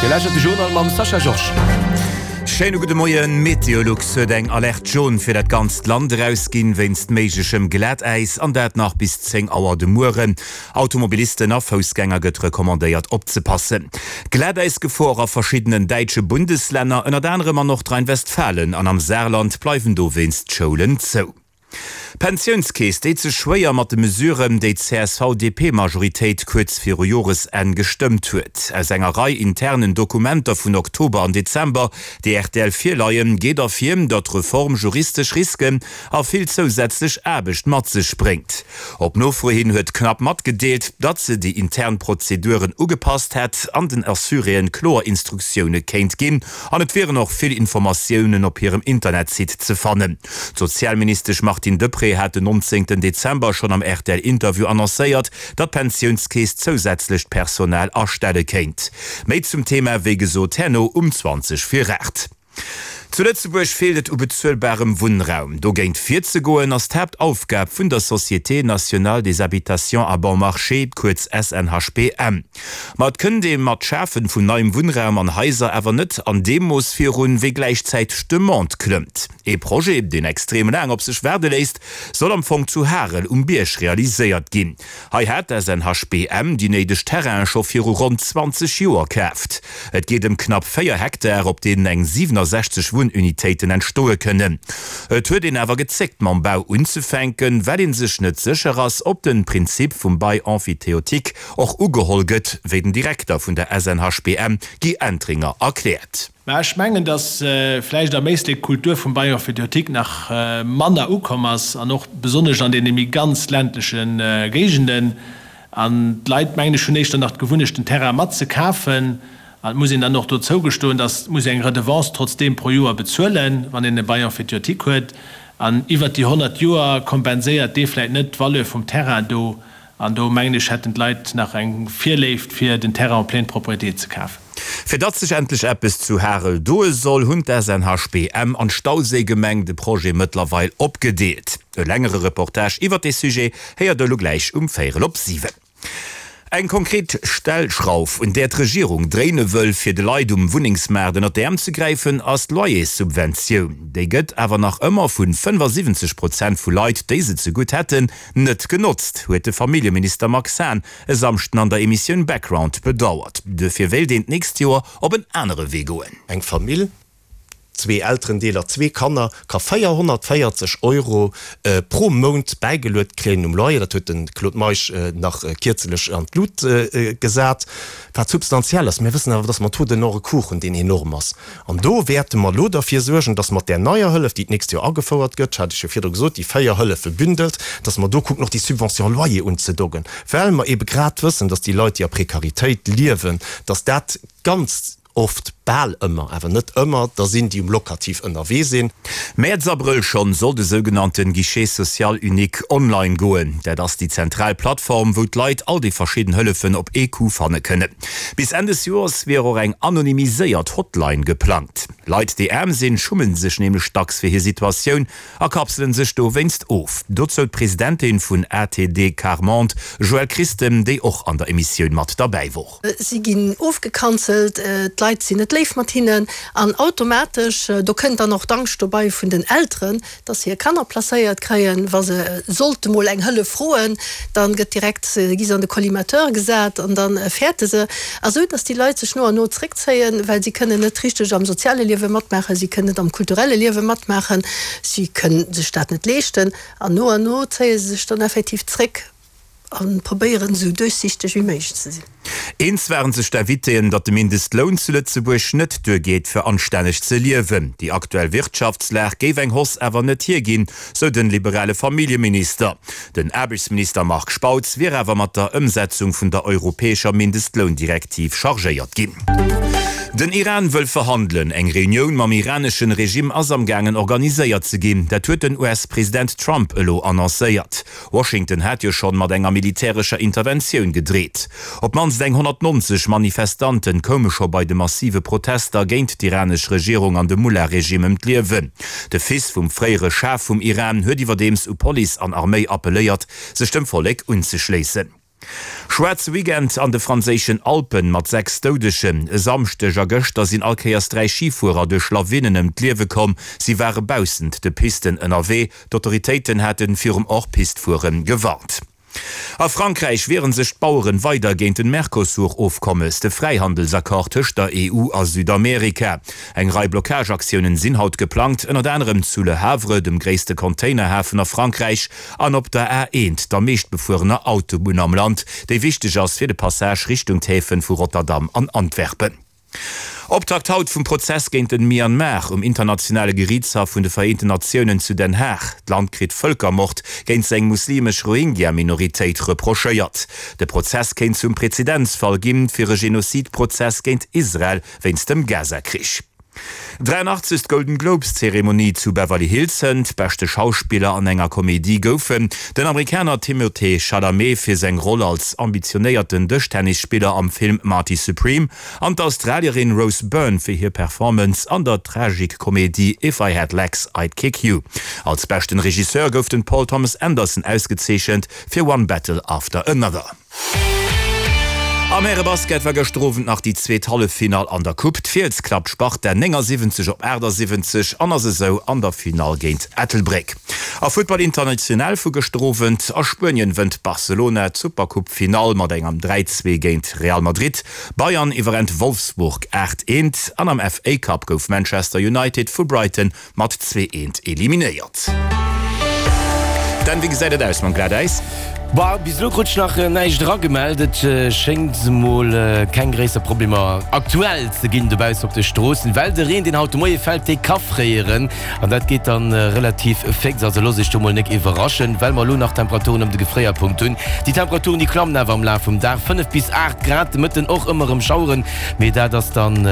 Dir lauschtert de Journal mam Sascha Georges. Schéine gudde Moien. Meteolux huet eng Alerte jaune fir dat ganzt Land erausginn, wéinst méiglechem Glatäis, an dat nach bis 10 Auer de Mueren. Automobilisten a Foussgänger gëtt recommandéiert opzepassen. Glatäisgefor a verschiddenen däitsche Bundeslänner, ënnert anerem an Nordrhein-Westfalen an am Saarland, bleiwen dowéinst d'Schoulen zou. D'Pensiounskeess deet sech schwéier mat de Mesuren, déi d'CSV-DP-Majoritéit kuerz viru Joresenn gestëmmt huet. Aus enger Rei internen Dokumenter vun Oktober an Dezember, déi rtl virleien, geet ervir, datt d'Reform juristesch Risken a vill zousätzlech Aarbecht mat sech bréngt. Op Nofro hin huet d'Knapp matgedeelt, datt se déi intern Prozeduren ugepasst hätt an den Assuréen kloer Instruktioune kéint ginn. An et wieren och vill Informatiounen op hirem Internetsite ze fannen. D'Sozialministesch Martine Deprez hat den 19 Dezember schonn am RTL-Interview annoncéiert, datt d'Pensiounskeess zousätzlecht Personal astelle kéint. Méi zum Thema wéi gesot herno um 20 vir 8. Zu Lëtzebuerg feelt et u bezuelbarem Wunnraum. Dogéint virzegoen ass d'Haaptaufgab vun der Société nationale des habitations à bon marché, kuerz SNHBM. Ma et kënnt ee mat Schafen vun neiem Wunnraum an Haiser awer net an deem Mooss virun, wéi gläichzäiteg d'Demande klëmmt. Ee Projet, deen extrem laang op sech waarde léisst, soll am Fong zu Harel um Bierg realiséiert ginn. Hei hat d'SNHBM déi néideg Terrainen scho viru ronn 20 Joer kaaft. Et geet ëm knapp 4 Hektar, op deenen eng 67 Wunnunitéiten entstoe kënnen. Et huet een awer gezéckt mam Bau unzefänken, well ee sech net sécher ass, ob den Prinzip vum Bail emphytéotique och ugeholl gëtt, wéi den Direkter vun der SNHBM Guy Entringer erkläert. Mä ech mengen, datt vläicht am Éislek d'Kultur vum Bail emphytéotique nach manner ukomm ass, an och besonnesch an deene méi ganz ländleche Géigenden. An d'Leit, mengen ech, hunn éischter nach d'Gewunnecht, den Terrain mat ze kafen. An et muss een dann och do zougestoen, datt muss eng Redevance trotzdeem pro Joer bezuelen, wann een e Bail emphytéotique huet. An iwwert déi 100 Joer kompenséiert dee vläicht net d'Valeur vum Terrain do. An do, mengen ech, hätten d'Leit nach eng Virléift, fir den Terrain en pleine propriété ze kafen. Fir datt sech endlech eppes zu Harel doe soll, hunn d'SNHBM an d'Stauséigemeng de Projet mëttlerweil opgedeelt. E längere Reportage iwwert dee Sujet héiert der elo gläich um véierel op 7. Eng konkret Stellschrauf, un där d'Regierung dréine wëll, fir de Leit um Wunnengsmaart ënnert d'Äerm ze gräifen, ass d'Loyerssubventioun. Déi gëtt awer nach ëmmer vu 75 Prozent vu Leit, déi se zegutt hätten, Net genotzt, huet de Familljeminister Max Hahn e Samschden an der Emissioun Background bedauert. Duerfir wéilt een d'nächst Joer op en anere Wee goen. Eng Famill, zwee Elterendeeler, zwee Kanner, ka 440 Euro pro Mount bäigeluet kréien um Loyer. Dat huet de Claude Meisch nach kierzelech an d'Lut gesat, wat substantiell ass. Mir wëssen awer, dass mer Taux de non-recours hunn, deen enorm ass. An do wäerte mer elo derfir suergen, dass mat där neier Hëllef, déi d'nächst Joer agefouert gëtt, hat ech jo virdru gesot, déi 4 Hëllefe bündelt, dass mer do kucken, och déi Subvention loyer unzedoggen, well mer eebe grad wëssen, dass déi Leit, déi a Prekaritéit liewen, dass dat ganz oft, bal ëmmer, awer net ëmmer, der sinn, déi um Locatif ënnerwee sinn. Mäerz, Abrëll schonn soll de sougenannte Guichet social unique online goen. Dat ass déi zentral Plattform, wou d'Leit all déi verschidden Hëllefen op ee Coup fanne kënnen. Bis Enn des Joers wier och eng anonymiséiert Hotline geplangt. Leit, déi aarm sinn, schummen sech nämlech dacks fir hir Situatioun a kapselen sech dowéinst of. Dozou d'Presidentin vun ATD Quart Monde, Joëlle Christen, déi och an der Emissioun mat derbäi wor. Si ginn ofgekanzelt, d'Leit sinn net léif mat hinnen an automatesch, do kënnt dann och d'Angscht dobei vun den Elteren, dass se hir Kanner placéiert kréien, wa se sollte mol eng Hëllef froen, dann gëtt direkt, gi se an de Collimateur gesat an da fäerte se. A sou dass déi Leit sech no an no zréckzéien, well si kënnen net richteg am soziale Liewe matmaachen, si kënnen net am kulturelle Liewe matmaachen, si kënnen sech dat net leeschten an no an no zéie se sech dann effektiv zréck. A probéieren esou duerchsichteg wéi méiglech ze sinn. Eens waren sech d'Invitéen, datt de Mindestloun zu Lëtzebuerg net duergeet fir anstänneg ze liewen. Déi aktuell Wirtschaftslag géif eng Hausse awer net hierginn, sou den liberale Familljeminister. Den Aarbechtsminister Marc Spautz wier awer mat der Ëmsetzung vun der europäescher Mindestloundirektiv chargéiert ginn. Den Iran wëll verhandelen. Eng Reunioun mam iraneschen Regime ass am gaangen organiséiert ze ginn. Dat huet den US-President Trump elo annoncéiert. Washington hat jo schonn mat enger militärescher Interventioun gedreet. Op d'mannst eng 190 Manifestanten koume scho bei de massive Protester géint d'iranesch Regierung an de Mullah-Regime ëm d'Liewen. De Fils vum fréiere Schah vum Iran huet iwwerdeems u Police an Arméi appelléiert, sech dem Vollek unzeschléissen. Schwaarze Weekend an de franséischen Alpen mat 6 Doudegen. E Samschdeg a gëschter sinn all Kéiers 3 Schifuerer duerch Lawinen ëm d'Liewe komm. Si ware baussent de Pisten ënnerwee. D'Autoritéiten hate virum Hors-Piste-Fuere gewarnt. A Frankräich wiere sech d'Baueren weider géint den Mercosur-Ofkommes, de Fräihandelsaccord tëscht der EU a Südamerika. Eng Rei Blockageaktiounen sinn haut geplangt, ënnert anerem zu Le Havre, dem gréisste Containerhafen a Frankräich, an op der A1, der meeschtbefuerener Autobunn am Land, déi wichteg ass fir de Passage Richtung d'Häfen vu Rotterdam an Antwerpen. Optakt haut vum Prozess géint den Myanmar um internationale Geriichtshaff vun de Vereenten Natiounen zu Den Haag. D'Land kritt Vëlkermord géint seng muslimesch Rohingya-Minoritéit reprochéiert. De Prozess kéint zum Prezedenzfall ginn fir e Genozidprozess géint Israel wéinst dem Gaza-Krich. 83. Golden Globes Zeremonie zu Beverly Hills hënt. Beschte Schauspiller an enger Komedie goufen den Amerikaner Timothée Chalamet fir seng Roll als ambitionéierten Dëschtennisspiller am Film Marty Supreme an d'Australierin Rose Byrne fir hir Performance an der Tragikkomedie If I Had Legs, I'd Kick You. Als beschten Regisseur gouf den Paul Thomas Anderson ausgezeechent fir One Battle After Another. Am Härebasket war gëschter Owend nach déi zweet Halleffinall an der Coupe. D'Fiels klappt Sparta 79 op 78 an ass esou an der Finall géint Ettelbréck. A Futtball International vu gëschter Owend, A Spuenien wënnt Barcelona d'Supercoupe Finall mat engem 3, 2 géint Real Madrid. Bayern iwwerrennt Wolfsburg 8, 1 an am FA Cup gouf Manchester United vu Brighton Mat 2 Eent eliminéiert. Dan, wéi gesäit et aus mam Glatäis? Boah, bis elo krut ech nach näischt eragemellt. Et schéngt emol keng gréisser Problemer aktuell ze ginn dobaussen op de Stroossen, well de Reen, deen haut de Moie fält, dee ka fréieren an dat geet dann relativ féx. Also loosst iech do mol nek iwwerraschen, well mer elo nach Temperaturen ëm de Gefréierpunkt hunn. Déi Temperaturen, déi klammen awer am Laf vum Dag, 5 bis 8 Grad, de Mëtten och ëmmer erëm Schaueren. Mee dat ass dann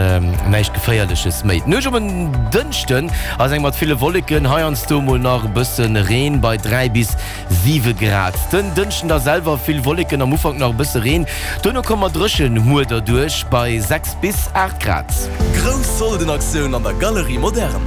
näischt Geféierleches méi. D'Nuecht op en Dënschden ass eng mat ville Wolleken, heiansdo mol nach e bësse Reen bei 3 bis 7 Grad. Den Dënschden da selwer vill Wolleken, am Ufank nach e bësse Reen, duerno komme mer dréchen muer derduerch bei 6 bis 8 Grad. Grouss Soldenaktioun an der Galerie Moderne!